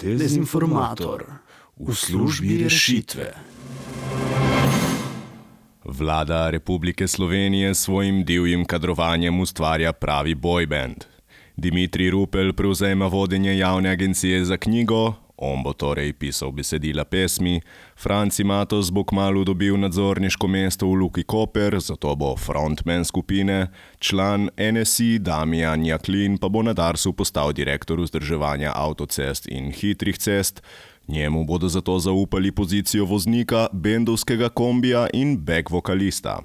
Dezinformator v službi rešitve. Vlada Republike Slovenije s svojim divjim kadrovanjem ustvarja pravi boyband. Dimitrij Rupel prevzema vodenje javne agencije za knjigo, on bo torej pisal besedila pesmi, Franci Matos bo kmalu dobil nadzorniško mesto v Luki Koper, zato bo frontman skupine, član NSI Damijan Jaklin pa bo na Darsu postal direktor vzdrževanja avtocest in hitrih cest, njemu bodo zato zaupali pozicijo voznika, bendovskega kombija in back vokalista.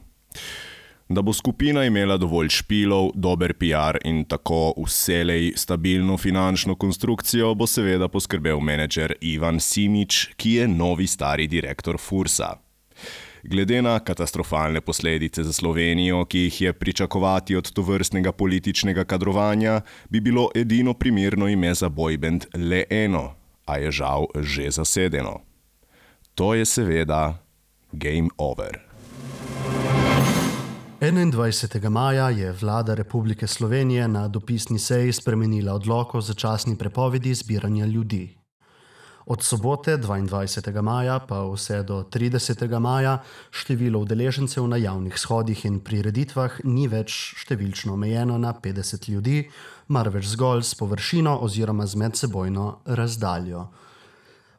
Da bo skupina imela dovolj špilov, dober PR in tako vselej stabilno finančno konstrukcijo, bo seveda poskrbel menedžer Ivan Simič, ki je novi stari direktor Fursa. Glede na katastrofalne posledice za Slovenijo, ki jih je pričakovati od tovrstnega političnega kadrovanja, bi bilo edino primerno ime za boyband le eno, a je žal že zasedeno. To je seveda Game Over. 21. maja je vlada Republike Slovenije na dopisni seji spremenila odlok o začasni prepovedi zbiranja ljudi. Od sobote 22. maja pa vse do 30. maja število udeležencev na javnih shodih in prireditvah ni več številčno omejeno na 50 ljudi, marveč zgolj s površino oziroma z medsebojno razdaljo.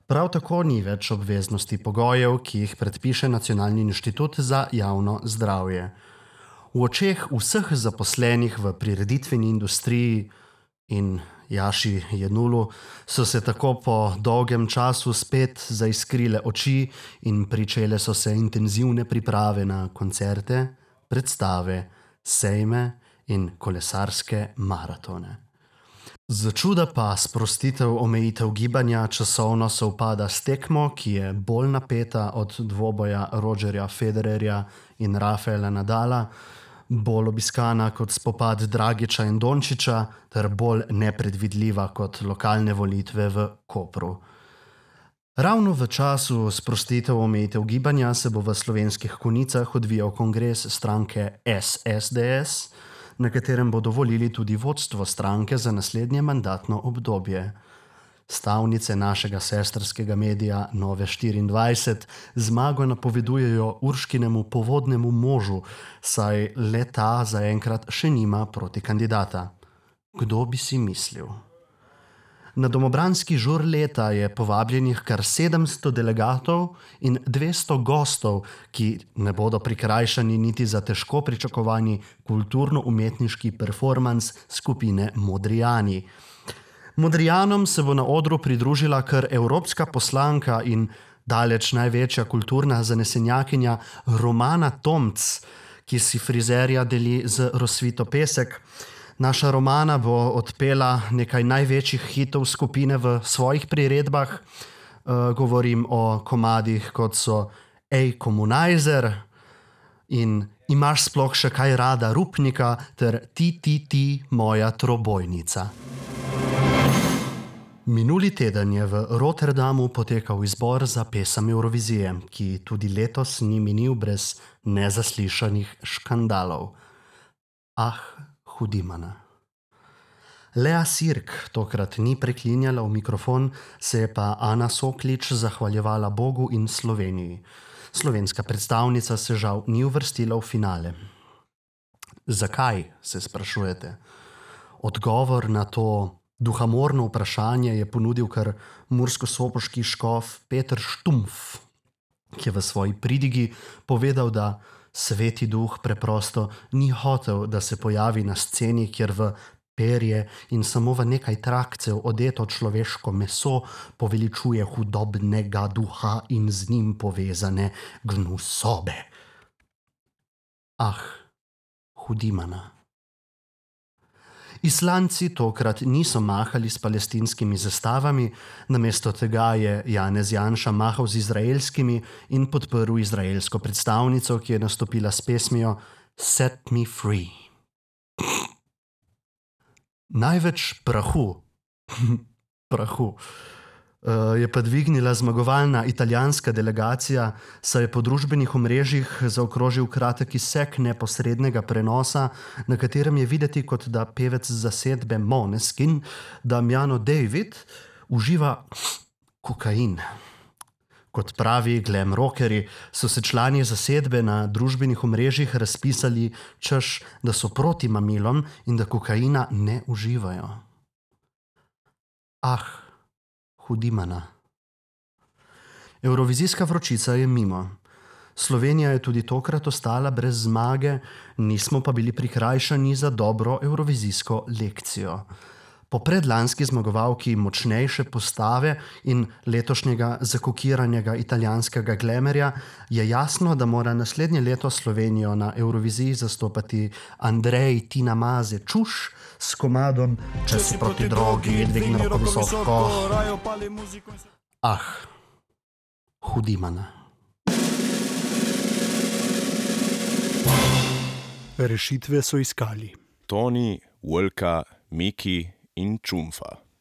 Prav tako ni več obveznosti pogojev, ki jih predpiše Nacionalni inštitut za javno zdravje. V očeh vseh zaposlenih v prireditveni industriji in Jaši Jenulu so se tako po dolgem času spet zaiskrile oči in pričele so se intenzivne priprave na koncerte, predstave, sejme in kolesarske maratone. Začuda pa sprostitev omejitev gibanja časovno sovpada s tekmo, ki je bolj napeta od dvoboja Rogerja Federerja in Rafaela Nadala, bolj obiskana kot spopad Dragiča in Dončiča ter bolj nepredvidljiva kot lokalne volitve v Kopru. Ravno v času sprostitev omejitev gibanja se bo v Slovenskih Konjicah odvijal kongres stranke SSDS, na katerem bodo volili tudi vodstvo stranke za naslednje mandatno obdobje. Stavnice našega sestrskega medija Nove24 zmago napovedujejo Urškinemu povodnemu možu, saj le ta zaenkrat še nima protikandidata. Kdo bi si mislil? Na domobranski žur leta je povabljenih kar 700 delegatov in 200 gostov, ki ne bodo prikrajšani niti za težko pričakovani kulturno-umetniški performans skupine Modrijani. Modrijanom se bo na odru pridružila kar evropska poslanka in daleč največja kulturna zanesenjakinja Romana Tomc, ki si frizerja deli z Rosvito Pesek. Naša Romana bo odpela nekaj največjih hitov skupine v svojih priredbah. Govorim o komadih, kot so Ej, komunajzer in Imaš sploh še kaj rada Rupnika ter Ti, moja trobojnica. Minuli teden je v Rotterdamu potekal izbor za pesem Evrovizije, ki tudi letos ni minil brez nezaslišanih škandalov. Ah, hudimana. Lea Sirk tokrat ni preklinjala v mikrofon, se je pa Ana Soklič zahvaljevala Bogu in Sloveniji. Slovenska predstavnica se žal ni uvrstila v finale. Zakaj, se sprašujete? Odgovor na to duhamorno vprašanje je ponudil kar murskosoboški škof Peter Štumpf, ki je v svoji pridigi povedal, da Sveti duh preprosto ni hotel, da se pojavi na sceni, kjer v perje in samo v nekaj trakcev odeto človeško meso poveličuje hudobnega duha in z njim povezane gnusobe. Ah, hudimana. Islandci tokrat niso mahali s palestinskimi zastavami, namesto tega je Janez Janša mahal z izraelskimi in podprl izraelsko predstavnico, ki je nastopila s pesmijo Set me free. Največ prahu je pa dvignila zmagovalna italijanska delegacija, saj je po družbenih omrežjih zaokrožil kratek izsek neposrednega prenosa, na katerem je videti, kot da pevec zasedbe Måneskin, Damiano David, uživa kokain. Kot pravi glam rockerji, so se člani zasedbe na družbenih omrežjih razpisali, češ, da so proti mamilom in da kokaina ne uživajo. Hudimana. Evrovizijska vročica je mimo. Slovenija je tudi tokrat ostala brez zmage, nismo pa bili prikrajšani za dobro evrovizijsko lekcijo. Po predlanski zmagovalki močnejše postave in letošnjega zakokiranega italijanskega glamerja je jasno, da mora naslednje leto Slovenijo na Evroviziji zastopati Andrej Tina Maze Čuš s komadom Če si proti drogi, dvigni roko visoko. Hudimana. Rešitve so iskali Toni, Vlka, Miki in Čumfa.